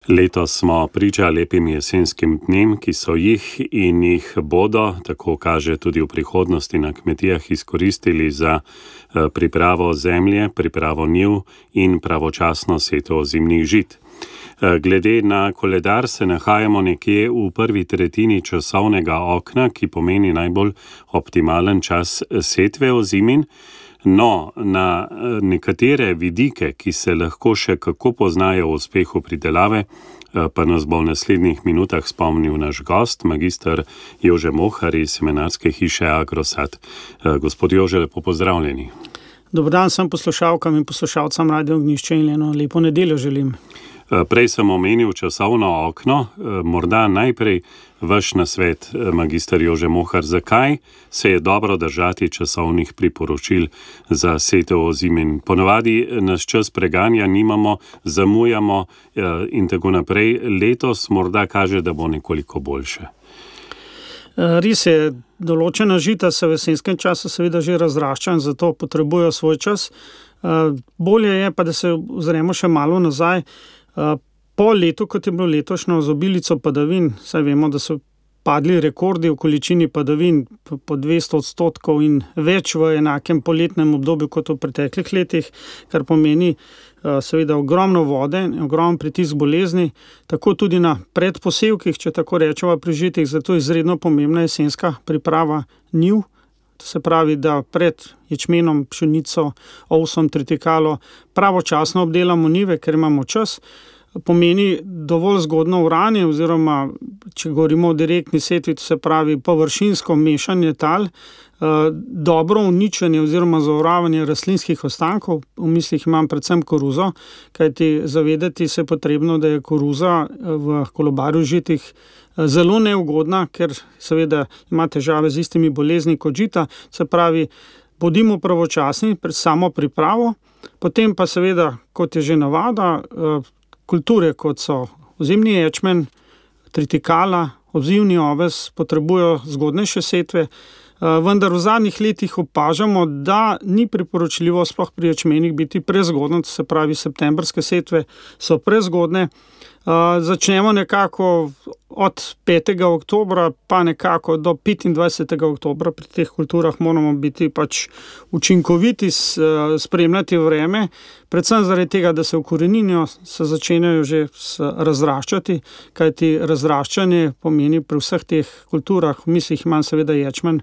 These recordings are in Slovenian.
Letos smo priča lepim jesenskim dnem, ki so jih in jih bodo, tako kaže tudi v prihodnosti, na kmetijah izkoristili za pripravo zemlje, pripravo njiv in pravočasno setev ozimnih žit. Glede na koledar se nahajamo nekje v prvi tretjini časovnega okna, ki pomeni najbolj optimalen čas setve ozimin. No, na nekatere vidike, ki se lahko še kako poznajo v uspehu pridelave, pa nas bo v naslednjih minutah spomnil naš gost, magister Jože Mohar iz semenarske hiše Agrosad. Gospod Jože, lepo pozdravljeni. Dober dan vsem poslušalkam in poslušalcem Radio Ognjišče in eno lepo nedeljo želim. Prej sem omenil časovno okno, morda najprej vaš nasvet, magister Jože Mohar, zakaj se je dobro držati časovnih priporočil za setev ozimin? Ponavadi nas čas preganja, nimamo, zamujamo in tako naprej. Letos morda kaže, da bo nekoliko boljše. Res je, določena žita se v jesenskem času seveda že razrašča in zato potrebujejo svoj čas. Bolje je pa, da se ozremo še malo nazaj. Po letu, kot je bilo letošnjo z obilico padavin, saj vemo, da so padli rekordi v količini padavin po 200% in več v enakem poletnem obdobju kot v preteklih letih, kar pomeni seveda ogromno vode, ogromen pritisk bolezni, tako tudi na predposevkih, če tako rečemo, pri žitih, zato je izredno pomembna jesenska priprava njiv. To se pravi, da pred ječmenom, pšenico, ovsom, tritikalo pravočasno obdelamo njive, ker imamo čas. Pomeni dovolj zgodno oranje oziroma, če govorimo o direktni setvi, to se pravi površinsko mešanje tal, dobro uničenje oziroma zaoravanje rastlinskih ostankov, v mislih imam predvsem koruzo, kajti zavedati se je potrebno, da je koruza v kolobarju žitih zelo neugodna, ker seveda ima težave z istimi bolezni kot žita, se pravi, bodimo pravočasni pred samo pripravo, potem pa seveda, kot je že navada, kulture, kot so ozimni ječmen, tritikala, odzivni oves, potrebujejo zgodnejše setve, vendar v zadnjih letih opažamo, da ni priporočljivo sploh pri ječmenih biti prezgodno, to se pravi septembrske setve so prezgodne. Začnemo nekako od 5. oktobra pa nekako do 25. oktobra. Pri teh kulturah moramo biti pač učinkoviti, spremljati vreme, predvsem zaradi tega, da se ukoreninijo, se začenjajo že razraščati, kajti razraščanje pomeni pri vseh teh kulturah, v mislih imam seveda ječmen,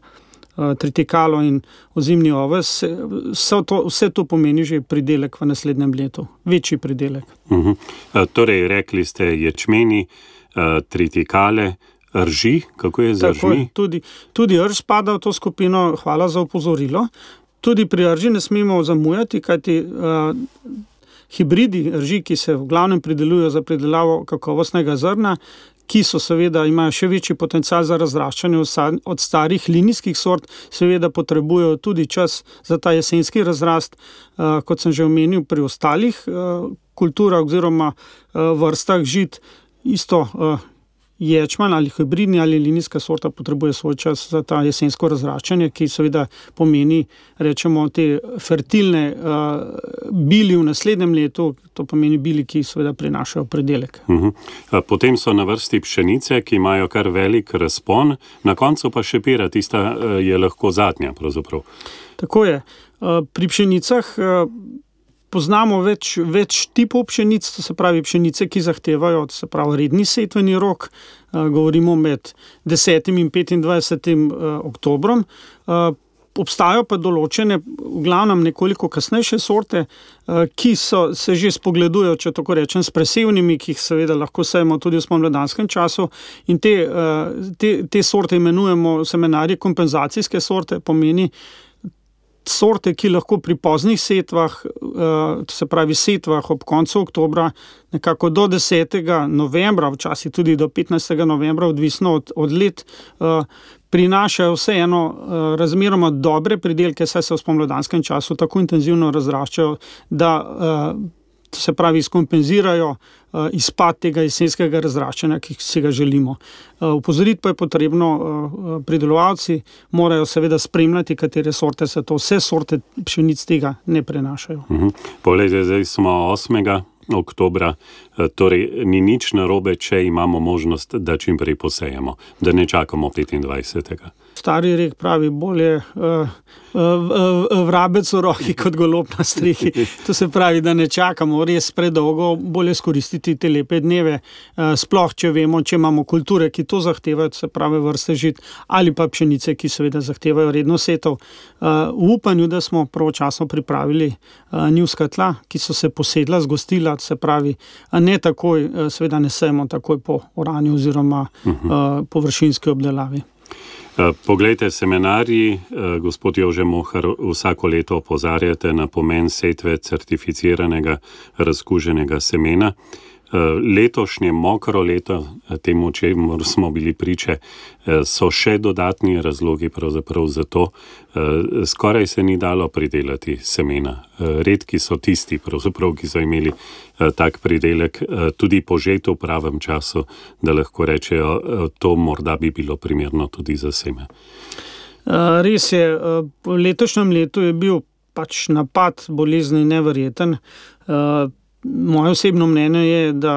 tritikalo in ozimni oves, vse to pomeni že pridelek v naslednjem letu, večji pridelek. Torej, rekli ste ječmeni, tritikale, rži, kako je z ržmi? Tudi rž spada v to skupino, hvala za opozorilo. Tudi pri rži ne smemo zamujati, kajti hibridi rži, ki se v glavnem pridelujejo za pridelavo kakovostnega zrna, ki so seveda, imajo še večji potencial za razraščanje od starih linijskih sort, seveda potrebujejo tudi čas za ta jesenski razrast, kot sem že omenil pri ostalih kulturah oziroma vrstah žit, isto ječman ali hibridni ali linijska sorta potrebuje svoj čas za ta jesensko razraščanje, ki seveda pomeni, rečemo, te fertilne bili v naslednjem letu, to pomeni bili, ki seveda prinašajo pridelek. Potem so na vrsti pšenice, ki imajo kar velik razpon, na koncu pa šepira, tista je lahko zadnja pravzaprav. Tako je. Pri pšenicah poznamo več tipov pšenic, to se pravi pšenice, ki zahtevajo, to se pravi redni setveni rok, govorimo med 10. in 25. oktobrom. Obstajajo pa določene, v glavnem nekoliko kasnejše sorte, ki se že spogledujejo, če tako rečem, s presevnimi, ki jih seveda lahko sejemo tudi v spomladanskem času, in te sorte imenujemo semenarji kompenzacijske sorte, pomeni sorte, ki lahko pri poznih setvah, to se pravi setvah ob koncu oktobra, nekako do 10. novembra, včasih tudi do 15. novembra, odvisno od let, prinašajo vseeno razmeroma dobre pridelke, saj se v spomladanskem času tako intenzivno razraščajo, da se pravi skompenzirajo izpad tega jesenskega razraščanja, ki si ga želimo. Upozoriti pa je potrebno, pridelovalci morajo seveda spremljati, katere sorte se to, vse sorte pšenic tega ne prenašajo. Poglejte, zdaj smo 8. oktobra, torej ni nič narobe, če imamo možnost, da čim prej posejemo, da ne čakamo 25. Stari rek pravi, bolje vrabec v roki kot golob na strehi. To se pravi, da ne čakamo res predolgo, bolje skoristiti te lepe dneve, sploh če vemo, če imamo kulture, ki to zahtevajo, se pravi vrste žit, ali pa pšenice, ki seveda zahtevajo redno setov. V upanju, da smo pravočasno pripravili njivska tla, ki so se posedla, zgostila, se pravi, ne takoj, seveda ne sejemo takoj po oranju oziroma površinski obdelavi. Poglejte, seminarji, gospod Jože Mohar, vsako leto opozarjate na pomen setve certificiranega razkuženega semena. Letošnje mokro leto, temu čemu smo bili priče, so še dodatni razlogi pravzaprav za to. Skoraj se ni dalo pridelati semena. Redki so tisti, pravzaprav, ki so imeli tak pridelek, tudi požet v pravem času, da lahko rečejo, to morda bi bilo primerno tudi za seme. Res je, v letošnjem letu je bil pač napad bolezni neverjeten. Moje osebno mnenje je, da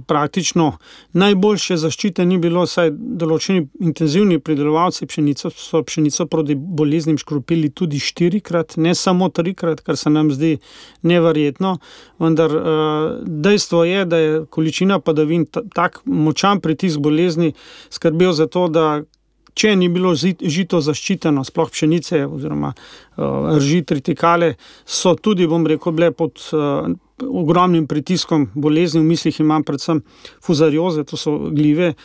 praktično najboljše zaščite ni bilo, saj določeni intenzivni pridelovalci so pšenico proti boleznim škropili tudi 4-krat, ne samo 3-krat, kar se nam zdi neverjetno, vendar dejstvo je, da je količina padavin tak močan pritisk bolezni skrbel za to, da če ni bilo žito zaščiteno, sploh pšenice oziroma rži tritikale, so tudi, bom rekel, bile pod ogromnim pritiskom bolezni, v mislih imam predvsem fuzarioze, to so glive,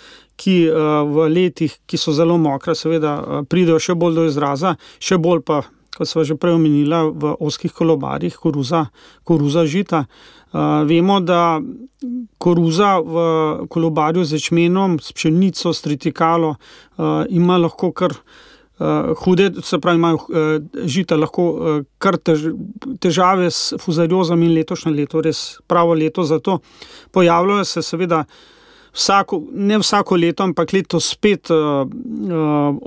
ki v letih, ki so zelo mokra, seveda pridejo še bolj do izraza, še bolj pa, kot sva že prej omenila, v ozkih kolobarjih, koruza žita. Vemo, da koruza v kolobarju z ječmenom, s pšenico, s tritikalo ima lahko kar hude, se pravi, imajo žita lahko kar težave s fuzariozami in letošnje leto, res pravo leto za to. Pojavljajo se seveda ne vsako leto, ampak letos spet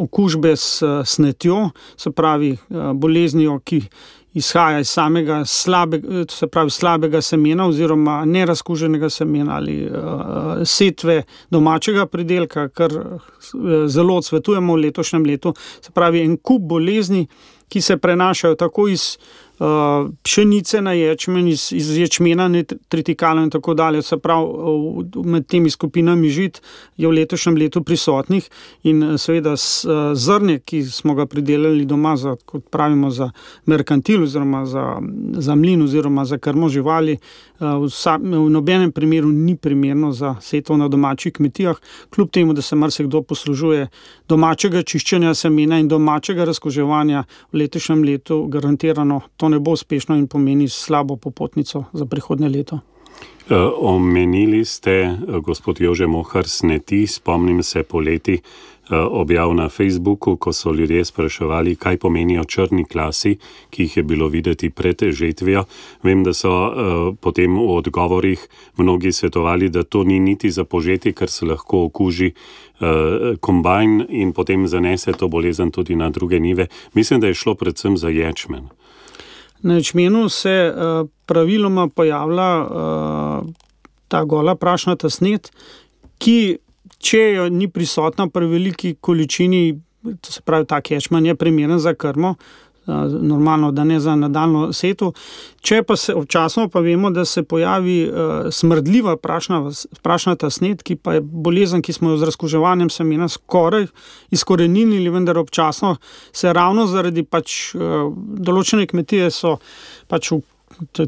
okužbe s snetjo, se pravi boleznijo, ki izhaja iz samega slabega semena oziroma nerazkuženega semena ali setve domačega pridelka, kar zelo odsvetujemo v letošnjem letu. Se pravi, en kup bolezni, ki se prenašajo tako iz pšenice na ječmen, iz ječmena na tritikalo in tako dalje. Se pravi, med temi skupinami žit je v letošnjem letu prisotnih in seveda zrnje, ki smo ga pridelali doma, kot pravimo, za merkantil oziroma za mlin oziroma za krmo živali, v nobenem primeru ni primerno za setvo na domačih kmetijah, kljub temu, da se marsikdo poslužuje domačega čiščenja semena in domačega razkuževanja, v letošnjem letu garantirano to ne bo uspešno in pomeni slabo popotnico za prihodnje leto. Omenili ste, gospod Jože Mohar, sneti, spomnim se poleti objav na Facebooku, ko so ljudje spraševali, kaj pomenijo črni klasi, ki jih je bilo videti pred žetvijo. Vem, da so potem v odgovorih mnogi svetovali, da to ni niti za požeti, ker se lahko okuži kombajn in potem zanese to bolezen tudi na druge njive. Mislim, da je šlo predvsem za ječmen. Na ječmenu se praviloma pojavlja ta gola prašnata snet, ki, če jo ni prisotna pri veliki količini, to se pravi, tak ječmen je primeren za krmo, normalno, da ne za nadaljno setev. Če pa se občasno pa vemo, da se pojavi smrdljiva prašnata snet, ki pa je bolezen, ki smo jo z razkuževanjem semena skoraj izkoreninili, vendar občasno se ravno zaradi določene kmetije so v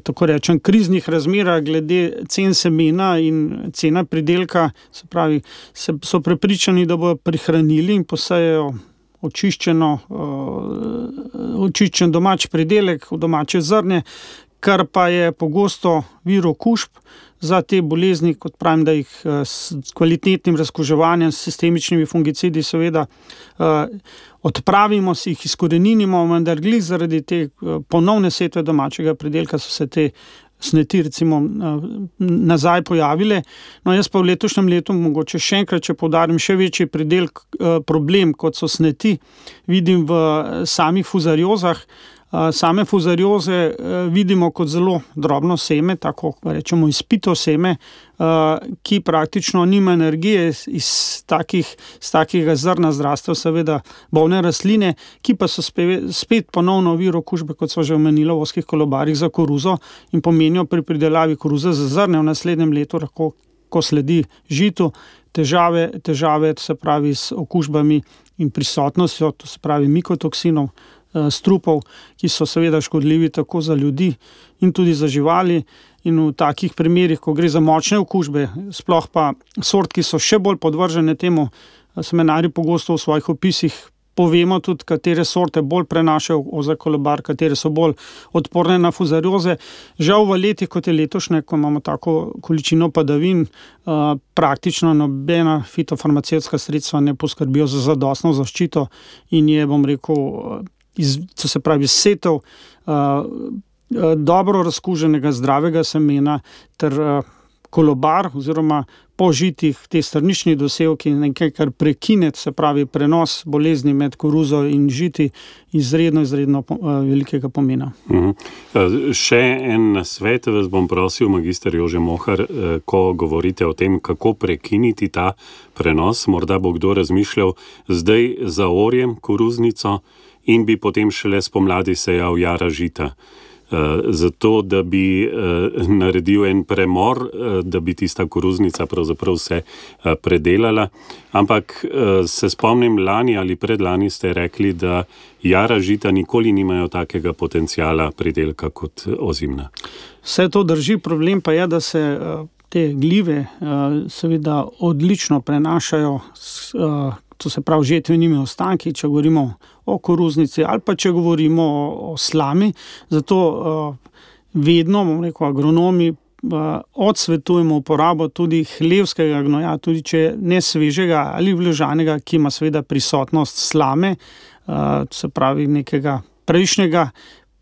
tako rečem kriznih razmerah glede cen semena in cena pridelka, se pravi, so prepričani, da bodo prihranili in posejejo očiščen domač pridelek, domače zrnje, kar pa je pogosto vir okužb za te bolezni, kot pravim, da jih s kvalitetnim razkuževanjem, s sistemičnimi fungicidi seveda odpravimo, si jih izkoreninimo, vendar glih zaradi te ponovne setve domačega pridelka so se te sneti recimo nazaj pojavile. No, jaz pa v letošnjem letu, mogoče še enkrat, če poudarim, še večji problem, kot so sneti, vidim v samih fuzariozah, Same fuzarioze vidimo kot zelo drobno seme, tako rečemo izpito seme, ki praktično nima energije iz takega zrna zrastev, seveda bolne rastline, ki pa so spet ponovno vir okužbe, kot so že omenila v ozkih kolobarjih za koruzo in pomenijo pri pridelavi koruze za zrne v naslednjem letu, lahko, ko sledi žitu, težave, se pravi s okužbami in prisotnostjo, to se pravi mikotoksinov, strupov, ki so seveda škodljivi tako za ljudi in tudi za živali. In v takih primerih, ko gre za močne okužbe, sploh pa sort, ki so še bolj podvržene temu, semenarji pogosto v svojih opisih povemo tudi, katere sorte bolj prenašajo ozek kolobar, katere so bolj odporne na fuzarioze. Žal v letih, kot je letošnje, ko imamo tako količino padavin, praktično nobena fitofarmacevtska sredstva ne poskrbijo za zadostno zaščito in je, bom rekel, to se pravi setev dobro razkuženega zdravega semena ter kolobar oziroma po žitih te strnični dosevki nekaj, kar prekine, se pravi prenos bolezni med koruzo in žiti, izredno velikega pomena. Še en nasvet vas bom prosil, magister Jože Mohar, ko govorite o tem, kako prekiniti ta prenos, morda bo kdo razmišljal, zdaj zaorjem koruznico in bi potem šele spomladi sejal jara žita. Zato, da bi naredil en premor, da bi tista koruznica pravzaprav se predelala. Ampak se spomnim, lani ali predlani ste rekli, da jara žita nikoli nimajo takega potenciala pridelka kot ozimna. Vse to drži, problem pa je, da se te glive seveda odlično prenašajo, to se pravi žetvenimi ostanki, če govorimo o koruznici ali pa če govorimo o slami. Zato vedno, bom rekel, agronomi odsvetujemo uporabo tudi hlevskega gnoja, tudi če ne svežega ali vložanega, ki ima seveda prisotnost slame, se pravi nekega prejšnjega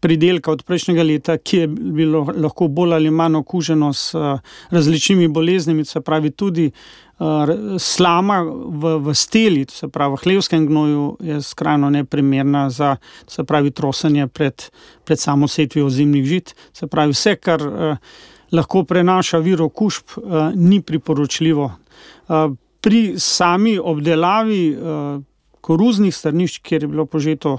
pridelka od prejšnjega leta, ki je bilo lahko bolj ali manj okuženo s različnimi boleznimi, se pravi tudi slama v steli, se pravi v hlevskem gnoju, je skrajno neprimerna za, se pravi, trosenje pred samo setvijo ozimnih žit. Se pravi, vse, kar lahko prenaša vir okužb, ni priporočljivo. Pri sami obdelavi koruznih strnišč, kjer je bilo požeto,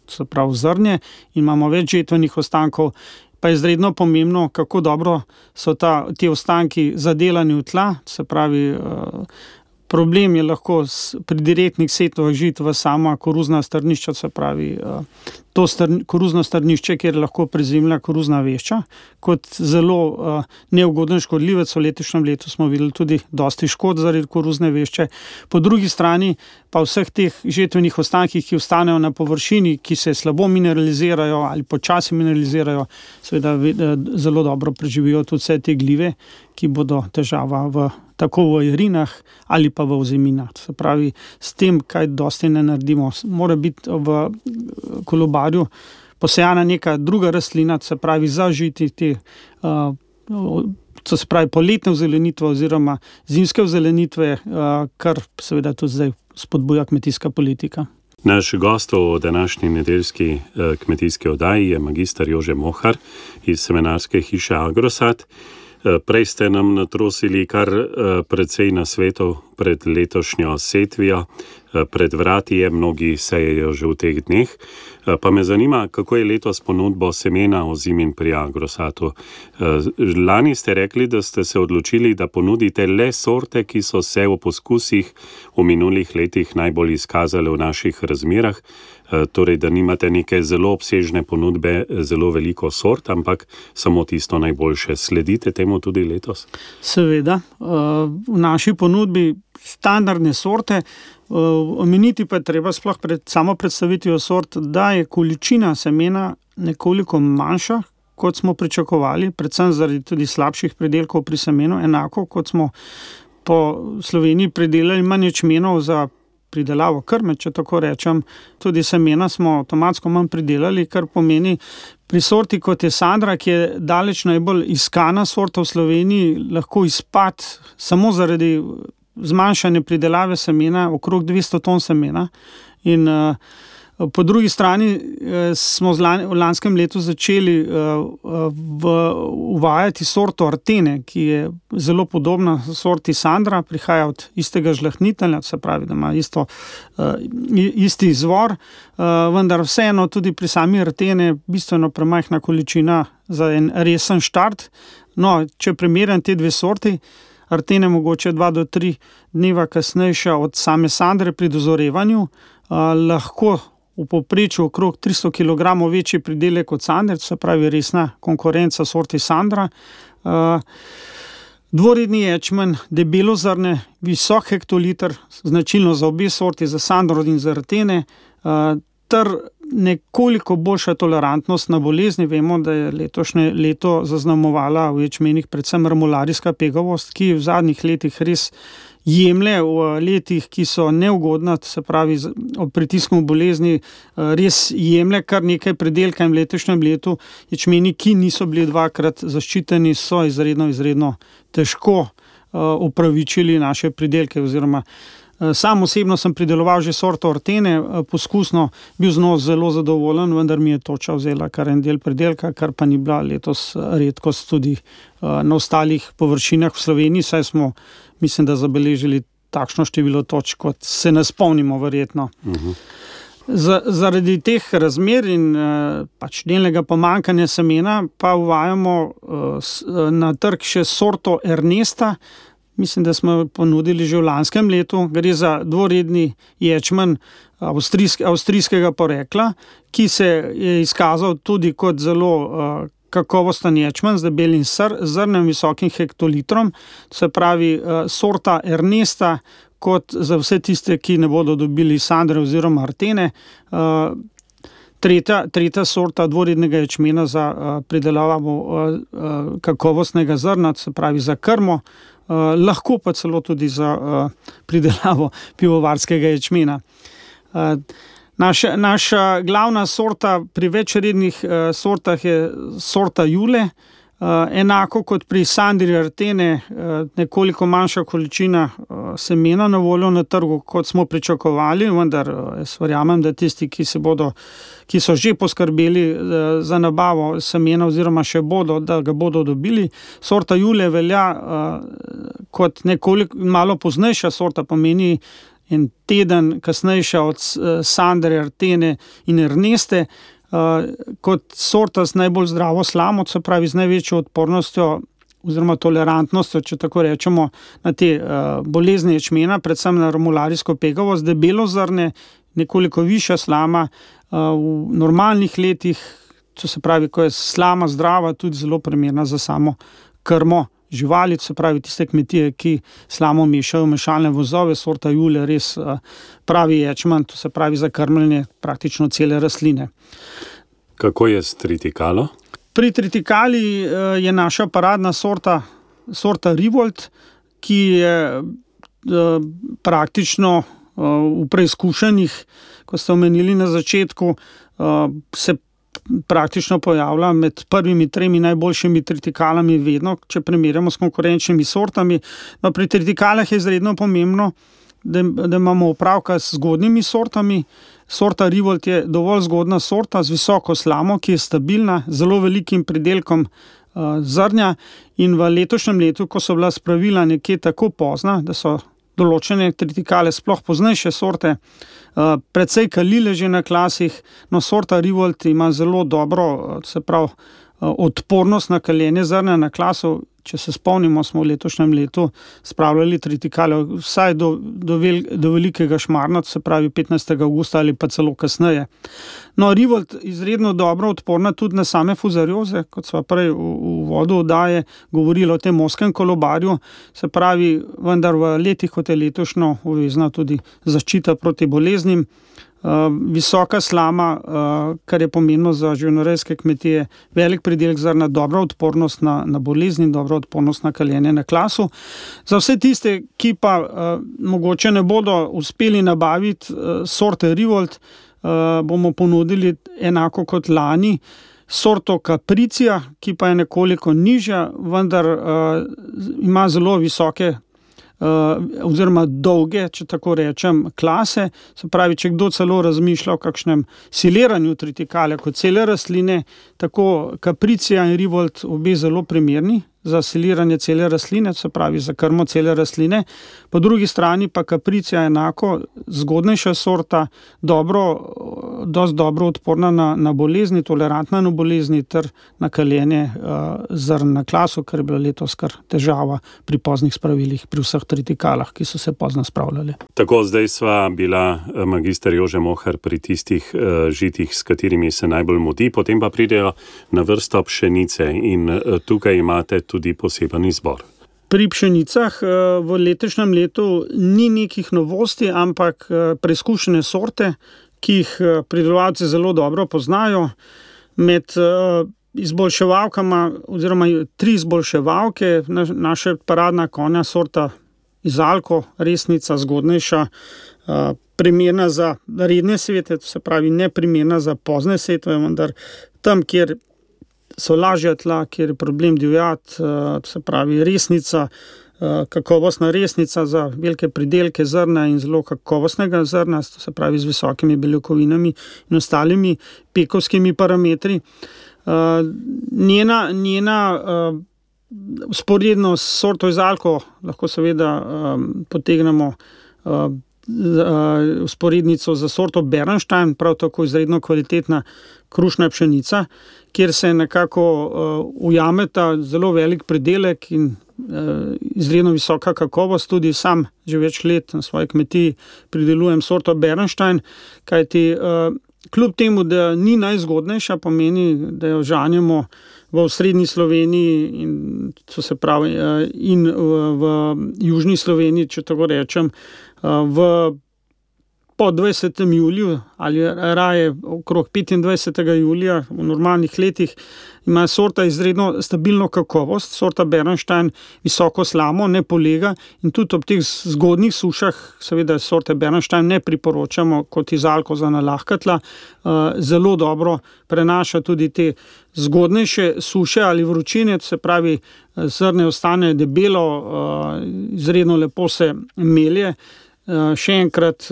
se pravi zrnje, in imamo več žetvenih ostankov, pa je izredno pomembno, kako dobro so ti ostanki zadelani v tla, se pravi, problem je lahko pri direktnih setvah žit v sama koruzna strnišča, se pravi, to koruzno strnišče, kjer je lahko prezimlja koruzna vešča, kot zelo neugoden škodljivec. V letošnjem letu smo videli tudi dosti škod zaradi koruzne vešče. Po drugi strani pa vseh teh žetvenih ostankih, ki ostanejo na površini, ki se slabo mineralizirajo ali počasi mineralizirajo, seveda zelo dobro preživijo tudi vse te glive, ki bodo težava tako v jarinah ali pa v oziminah. Se pravi, s tem, kaj dosti ne naredimo, mora biti v kolobarju posejana neka druga rastlina, se pravi zažiti te, to se pravi poletne ozelenitve oziroma zimske ozelenitve, kar seveda tudi zdaj spodbuja kmetijska politika. Naš gost v današnji nedeljski kmetijski oddaji je magister Jože Mohar iz semenarske hiše Agrosad. Prej ste nam natrosili kar precej nasvetov pred letošnjo setvijo, pred vrati je, mnogi sejejo že v teh dneh. Pa me zanima, kako je letos ponudbo semena ozimin pri Agrosatu. Lani ste rekli, da ste se odločili, da ponudite le sorte, ki so se v poskusih v minulih letih najbolj izkazale v naših razmerah, torej da nimate neke zelo obsežne ponudbe, zelo veliko sort, ampak samo tisto najboljše. Sledite temu tudi letos? Seveda, v naši ponudbi standardne sorte, omeniti pa je treba sploh pred samo predstavitvijo sort, da je količina semena nekoliko manjša, kot smo pričakovali, predvsem zaradi tudi slabših pridelkov pri semenu, enako kot smo po Sloveniji pridelali manj ječmenov za pridelavo krme, če tako rečem. Tudi semena smo avtomatsko manj pridelali, kar pomeni pri sorti, kot je Sandra, ki je daleč najbolj iskana sorta v Sloveniji, lahko izpad samo zaradi zmanjšanje pridelave semena, okrog 200 ton semena. In Po drugi strani smo v lanskem letu začeli uvajati sorto Artene, ki je zelo podobna sorti Sandra, prihaja od istega žlahtnitelja, se pravi, da ima isti izvor, vendar vseeno tudi pri sami Artene bistveno premajhna količina za en resen štart. No, če primerjam te dve sorti, Artene mogoče 2 do 3 dneva kasnejša od same Sandre pri dozorevanju, lahko v povprečju okrog 300 kg večji pridelek od Sandre, se pravi resna konkurenca sorti Sandra. Dvoredni ječmen, debelozrne, visok hektoliter, značilno za obe sorti, za Sandro in za Artene, ter nekoliko boljša tolerantnost na bolezni. Vemo, da je letošnje leto zaznamovala v ječmenih predvsem remularijska pegavost, ki v zadnjih letih res jemlje v letih, ki so neugodna, se pravi ob pritisku bolezni, res jemlje kar nekaj pridelka in v letošnjem letu ječmeni, ki niso bili 2-krat zaščiteni, so izredno težko upravičili naše pridelke oziroma sam osebno sem prideloval že sorto Artene, poskusno bil z njo zelo zadovoljen, vendar mi je toča vzela kar en del pridelka, kar pa ni bila letos redkost tudi na ostalih površinah v Sloveniji, saj smo, mislim, da zabeležili takšno število točk, kot se ne spomnimo verjetno. Zaradi teh razmer in pač delnega pomanjkanja semena pa uvajamo na trg še sorto Ernesta. Mislim, da smo ponudili že v lanskem letu. Gre za dvoredni ječmen avstrijskega porekla, ki se je izkazal tudi kot zelo kakovosten ječmen z debelim zrnem, visokim hektolitrom. Se pravi, sorta Ernesta, kot za vse tiste, ki ne bodo dobili Sandre oziroma Artene. Tretja sorta dvorednega ječmena za pridelavo kakovostnega zrna, se pravi za krmo, lahko pa celo tudi za pridelavo pivovarskega ječmena. Naša glavna sorta pri večrednih sortah je sorta Jule, enako kot pri Sandri Artene, nekoliko manjša količina semena na voljo na trgu, kot smo pričakovali, vendar jaz verjamem, da tisti, ki so že poskrbeli za nabavo semena oziroma še bodo, da ga bodo dobili. Sorta Jule velja kot nekoliko malo poznejša sorta, pomeni en teden kasnejša od Sandre, Artene in Erneste, kot sorta z najbolj zdravo slamo, se pravi z največjo odpornostjo oziroma tolerantnostjo, če tako rečemo, na te bolezni ječmena, predvsem na remularijsko pegavost, debelozrne, nekoliko višja slama, v normalnih letih, to se pravi, ko je slama zdrava, tudi zelo primerna za samo krmo živali, se pravi tiste kmetije, ki slamo mešajo v mešalne vozove, sorta Jule res pravi ječmen, to se pravi za krmljenje praktično cele rastline. Kako je s tritikalo? Pri tritikali je naša paradna sorta Rivolt, ki je praktično v preizkušanjih, ko ste omenili na začetku, se praktično pojavlja med prvimi 3 najboljšimi tritikalami vedno, če primerjamo s konkurenčnimi sortami. No, pri tritikalah je izredno pomembno, da imamo opravka z zgodnjimi sortami. Sorta Rivolt je dovolj zgodna sorta z visoko slamo, ki je stabilna, zelo velikim pridelkom zrnja, in v letošnjem letu, ko so bila spravila nekje tako pozna, da so določene tritikale, sploh poznejše sorte, precej kalile že na klasih, no sorta Rivolt ima zelo dobro, se pravi, odpornost na kaljenje zrna na klasu. Če se spomnimo, smo v letošnjem letu spravljali tritikale vsaj do velikega šmarna, se pravi 15. avgusta ali pa celo kasneje. No, Rivolt izredno dobro odporna tudi na same fuzarioze, kot sva prej v uvodu oddaje govorili o tem ozkem kolobarju, se pravi, vendar v letih, kot je letošnjo, obvezna tudi zaščita proti boleznim. Visoka slama, kar je pomembno za živinorejske kmetije, velik pridelek zrna, dobra odpornost na bolezni, dobra odpornost na kaljenje na klasu. Za vse tiste, ki pa mogoče ne bodo uspeli nabaviti sorte Rivolt, bomo ponudili enako kot lani sorto Capricia, ki pa je nekoliko nižja, vendar ima zelo visoke oziroma dolge, če tako rečem, klase. Se pravi, če kdo celo razmišlja o kakšnem siliranju tritikale kot cele rastline, tako Capricia in Rivold obe zelo primerni za siliranje cele rastline, se pravi za krmo cele rastline. Po drugi strani pa Capricia enako zgodnejša sorta, dosti dobro odporna na bolezni, tolerantna na bolezni ter na kaljenje zrn na klasu, kar je bila letos kar težava pri poznih spravilih, pri vseh tritikalah, ki so se pozno spravljali. Tako, zdaj sva bila magister Jože Mohar pri tistih žitih, s katerimi se najbolj mudi, potem pa pridejo na vrsto pšenice in tukaj imate tudi poseben izbor. Pri pšenicah v letošnjem letu ni nekih novosti, ampak preizkušene sorte, ki jih pridelovalci zelo dobro poznajo. Med izboljševalkama oziroma 3 izboljševalke, naša paradna konja sorta Izalko, resnica, zgodnejša, primerna za redne setve, to se pravi neprimerna za pozne setve, vendar tam, kjer so lažja tla, kjer je problem divjad, se pravi resnica, kakovostna resnica za velike pridelke zrna in zelo kakovostnega zrna, to se pravi z visokimi beljakovinami in ostalimi pekovskimi parametri. Njena vzporedno s sorto Izalko lahko seveda potegnemo vzporednico za sorto Bernstein, prav tako izredno kvalitetna krušna pšenica, kjer se nekako ujameta zelo velik pridelek in izredno visoka kakovost. Tudi sam že več let na svoji kmetiji pridelujem sorto Bernstein, kajti kljub temu, da ni najzgodnejša, pomeni, da jo žanjemo v osrednji Sloveniji in v južni Sloveniji, če tako rečem, po 20. juliju ali raje okrog 25. julija v normalnih letih ima sorta izredno stabilno kakovost, sorta Bernstein visoko slamo, ne polega in tudi ob teh zgodnih sušah seveda sorte Bernstein ne priporočamo kot Izalko za nalahka tla, zelo dobro prenaša tudi te zgodnejše suše ali vročine, se pravi zrne ostane debelo, izredno lepo se melje. Še enkrat,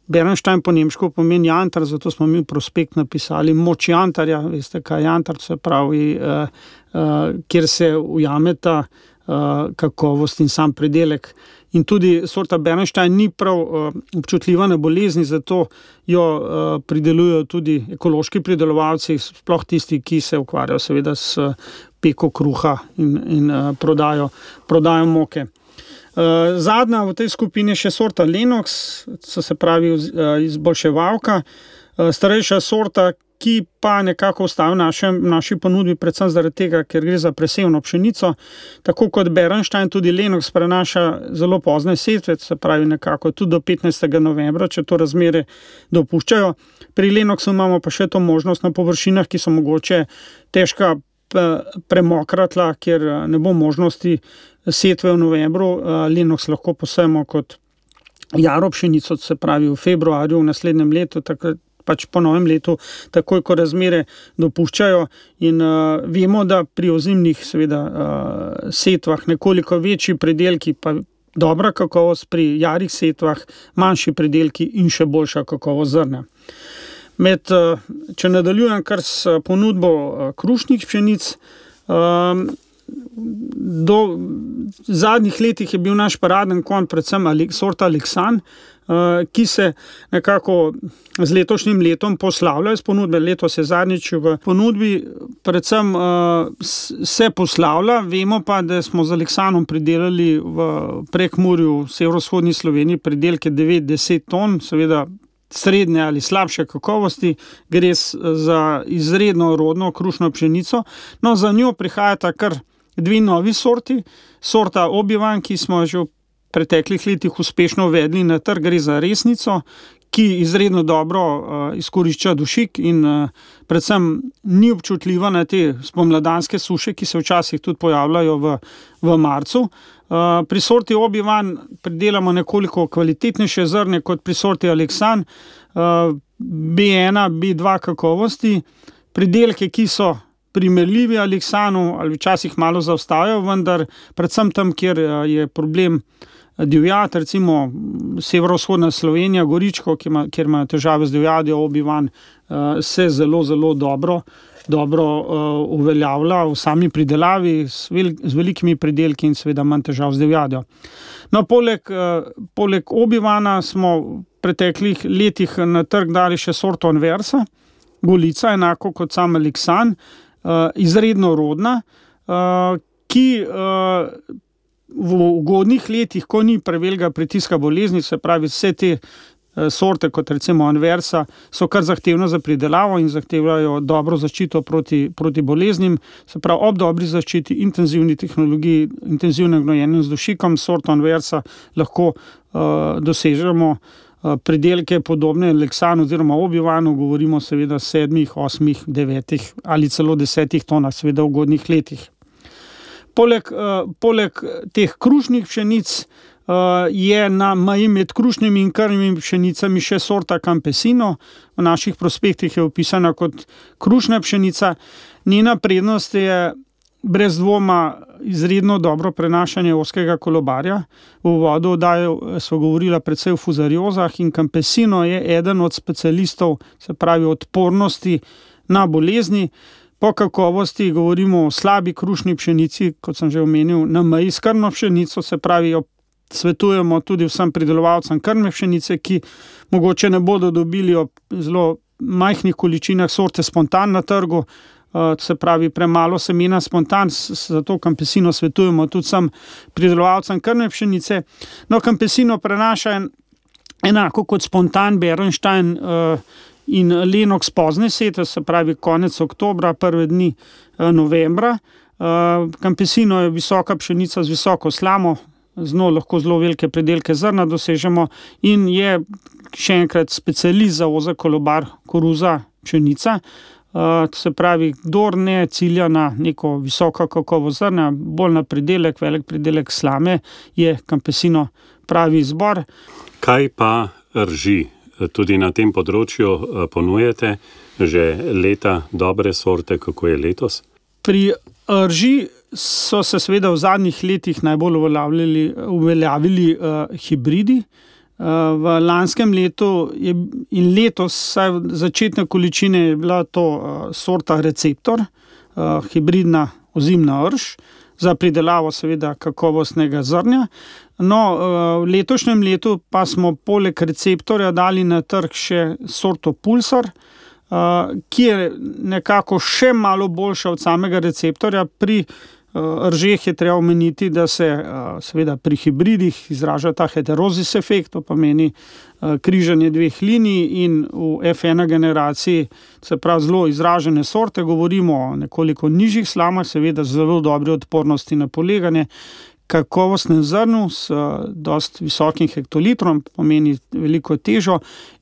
Bernstein po nemško pomeni jantar, zato smo mi v prospekt napisali moč jantarja, veste kaj jantar, se pravi, kjer se ujameta kakovost in sam pridelek. In tudi sorta Bernstein ni prav občutljiva na bolezni, zato jo pridelujejo tudi ekološki pridelovalci, sploh tisti, ki se ukvarjajo seveda s peko kruha in prodajo moke. Zadnja v tej skupini je še sorta Lenox, se pravi izboljševalka, starejša sorta, ki pa nekako ostaja v naši ponudbi predvsem zaradi tega, ker gre za presevno pšenico. Tako kot Bernstein, tudi Lenox prenaša zelo pozne setve, se pravi nekako tudi do 15. novembra, če to razmere dopuščajo. Pri Lenoxu imamo pa še to možnost na površinah, ki so mogoče težka premokra tla, kjer ne bo možnosti setve v novembru. Lenox lahko posejemo kot jaro pšenico, se pravi v februarju v naslednjem letu, takrat pač po novem letu, takoj ko razmere dopuščajo. In vemo, da pri ozimnih seveda setvah nekoliko večji pridelki, pa dobra kakovost, pri jarih setvah manjši pridelki in še boljša kakovost zrna. Če nadaljujem kar s ponudbo krušnih pšenic, do zadnjih letih je bil naš paraden konj predvsem sorta Alexan, ki se nekako z letošnjim letom poslavlja iz ponudbe. Letos je zadnjič v ponudbi, predvsem se poslavlja. Vemo pa, da smo z Alexanom pridelali v Prekmurju, severovzhodni Sloveniji, pridelke 9-10 ton, seveda srednje ali slabše kakovosti, gre za izredno rodno krušno pšenico. No, za njo prihajata kar 2 novi sorti. Sorta Obi-Wan, ki smo že v preteklih letih uspešno uvedli na trg, gre za resnico, ki izredno dobro izkorišča dušik in predvsem ni občutljiva na te spomladanske suše, ki se včasih tudi pojavljajo v marcu. Pri sorti Obi-Wan pridelamo nekoliko kvalitetnejše zrne kot pri sorti Alexan, B1, B2 kakovosti, pridelke, ki so primerljivi Aleksanu ali včasih malo zaostajajo, vendar predvsem tam, kjer je problem divjad, recimo severovzhodna Slovenija, Goričko, kjer imajo težave z divjadjo, Obi-Van se zelo, zelo dobro uveljavlja v sami pridelavi z velikimi pridelki in seveda manj težav z divjadjo. No, poleg Obi-Vana smo v preteklih letih na trg dali še sorto Anversa, Golica, enako kot sam Aleksan, izredno rodna, ki v ugodnih letih, ko ni prevelikega pritiska bolezni, se pravi vse te sorte, kot recimo Anversa, so kar zahtevne za pridelavo in zahtevajo dobro zaščito proti boleznim. Se pravi, ob dobri zaščiti, intenzivni tehnologiji, intenzivnem gnojenju z dušikom, sorto Anversa lahko dosežemo pridelke podobne Aleksanu oziroma Obi-Vanu, govorimo seveda 7, 8, 9 ali celo 10 tonah, seveda v ugodnih letih. Poleg teh krušnih pšenic je na meji med krušnimi in krmnimi pšenicami še sorta Campesino. V naših prospektih je opisana kot krušna pšenica. Njena prednost je brez dvoma izredno dobro prenašanje ozkega kolobarja. V uvodu oddaje smo govorila predvsej o fuzariozah in Campesino je eden od specialistov, se pravi odpornosti na bolezni. Po kakovosti govorimo o slabi krušni pšenici, kot sem že omenil, na meji s krmno pšenico, se pravi jo svetujemo tudi vsem pridelovalcem krmne pšenice, ki mogoče ne bodo dobili ob zelo majhnih količinah sorte spontan na trgu, se pravi premalo semena spontan, zato Campesino svetujemo tudi vsem pridelovalcem krmne pšenice. No, Campesino prenaša enako kot spontan Bernstein in Lenox pozne setve, se pravi konec oktobra, prve dni novembra. Campesino je visoka pšenica z visoko slamo, z njo lahko zelo velike pridelke zrna dosežemo in je še enkrat specialist za ozek kolobar koruza pšenica. Se pravi, kdor ne cilja na neko visoko kakovost zrna, bolj na pridelek, velik pridelek slame, je Campesino pravi izbor. Kaj pa rži? Tudi na tem področju ponujate že leta dobre sorte, kako je letos? Pri rži so se seveda v zadnjih letih najbolj uveljavili hibridi. V lanskem letu in letos, saj začetne količine je bila to sorta Receptor, hibridna ozimna rž, za pridelavo seveda kakovostnega zrnja. No, v letošnjem letu pa smo poleg Receptorja dali na trg še sorto Pulsar, ki je nekako še malo boljša od samega Receptorja. Pri ržeh je treba omeniti, da se seveda pri hibridih izraža ta heterozis efekt, to pomeni križanje dveh linij, in v F1 generaciji, se pravi zelo izražene sorte, govorimo o nekoliko nižjih slamah, seveda zelo dobre odpornosti na poleganje, kakovostnem zrnu s dosti visokim hektolitrom, pomeni veliko težo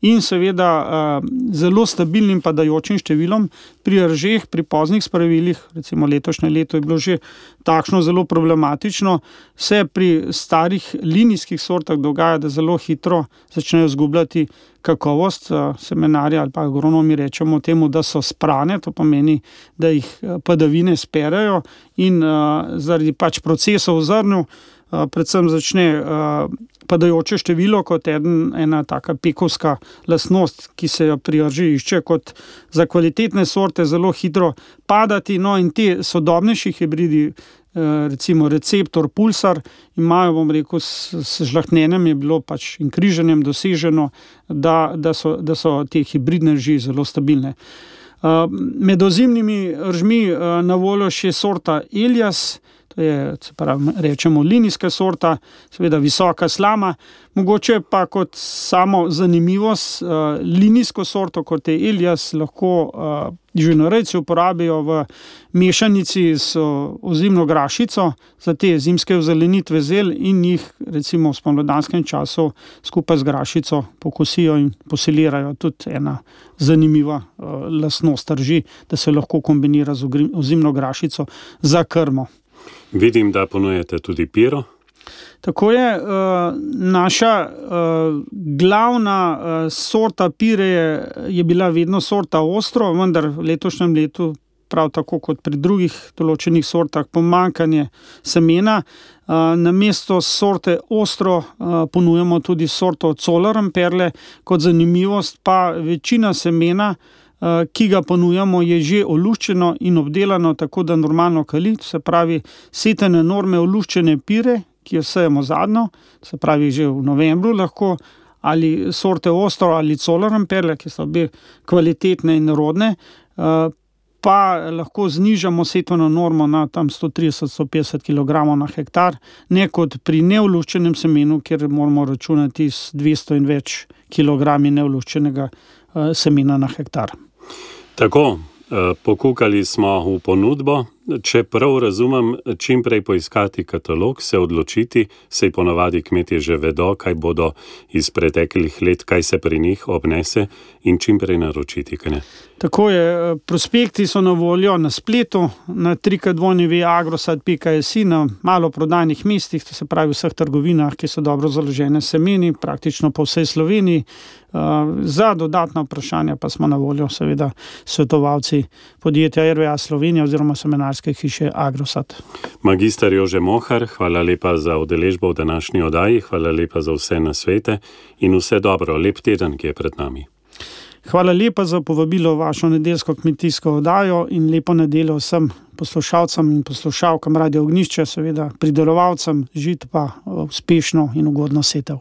in seveda zelo stabilnim padajočim številom. Pri ržeh, pri poznih spravilih, recimo letošnje leto je bilo že takšno zelo problematično, se pri starih linijskih sortah dogaja, da zelo hitro začnejo izgubljati kakovost. Semenarji ali pa agronomi rečemo temu, da so sprane, to pomeni, da jih padavine sperejo in zaradi pač procesov v zrnju predvsem začne padajoče število kot ena taka pekovska lastnost, ki se jo pri rži išče kot za kvalitetne sorte zelo hitro padati. No, in te sodobnejši hibridi, recimo Receptor, Pulsar, imajo, bom rekel, s žlahtnjenjem je bilo pač in križanjem doseženo, da so te hibridne rži zelo stabilne. Med ozimnimi ržmi na voljo še sorta Elias, to je, se pravi, rečemo linijska sorta, seveda visoka slama, mogoče pa kot samo zanimivost, linijsko sorto, kot je Elias, lahko živinorejci uporabijo v mešanici z ozimno grašico za te zimske ozelenitve zel in jih recimo v spomladanskem času skupaj z grašico pokosijo in posilirajo. Tudi ena zanimiva lastnost rži, da se lahko kombinira z ozimno grašico za krmo. Vidim, da ponujate tudi piro. Tako je, naša glavna sorta pire je bila vedno sorta Ostro, vendar v letošnjem letu prav tako kot pri drugih določenih sortah, pomanjkanje semena. Namesto sorte Ostro ponujamo tudi sorto Coloram Perle. Kot zanimivost pa večina semena, ki ga ponujamo, je že oluščeno in obdelano, tako da normalno kali, se pravi setene norme oluščene pire, ki jo sejemo zadnjo, se pravi že v novembru lahko, ali sorte Ostro ali Coloram Perle, ki so obe kvalitetne in rodne, pa lahko znižamo setveno normo na tam 130-150 kg na hektar, ne kot pri neoluščenem semenu, kjer moramo računati s 200 in več kilogrami neoluščenega semena na hektar. Tako, pokukali smo v ponudbo. Če prav razumem, čim prej poiskati katalog, se odločiti, saj ponavadi kmetje že vedo, kaj bodo iz preteklih let, kaj se pri njih obnese, in čim prej naročiti, kaj ne? Tako je, prospekti so na voljo na spletu, na www.agrosad.si, na maloprodajnih mestih, to se pravi vseh trgovinah, ki so dobro založene semeni, praktično po vsej Sloveniji. Za dodatna vprašanja pa smo na voljo seveda svetovalci podjetja RVA Slovenija oziroma semenarske hiše Agrosad. Magister Jože Mohar, hvala lepa za udeležbo v današnji oddaji, hvala lepa za vse nasvete in vse dobro, lep teden, ki je pred nami. Hvala lepa za povabilo v vašo nedeljsko kmetijsko oddajo in lepo nedeljo vsem poslušalcem in poslušalkam Radio Ognjišče, seveda pridelovalcem žit pa uspešno in ugodno setev.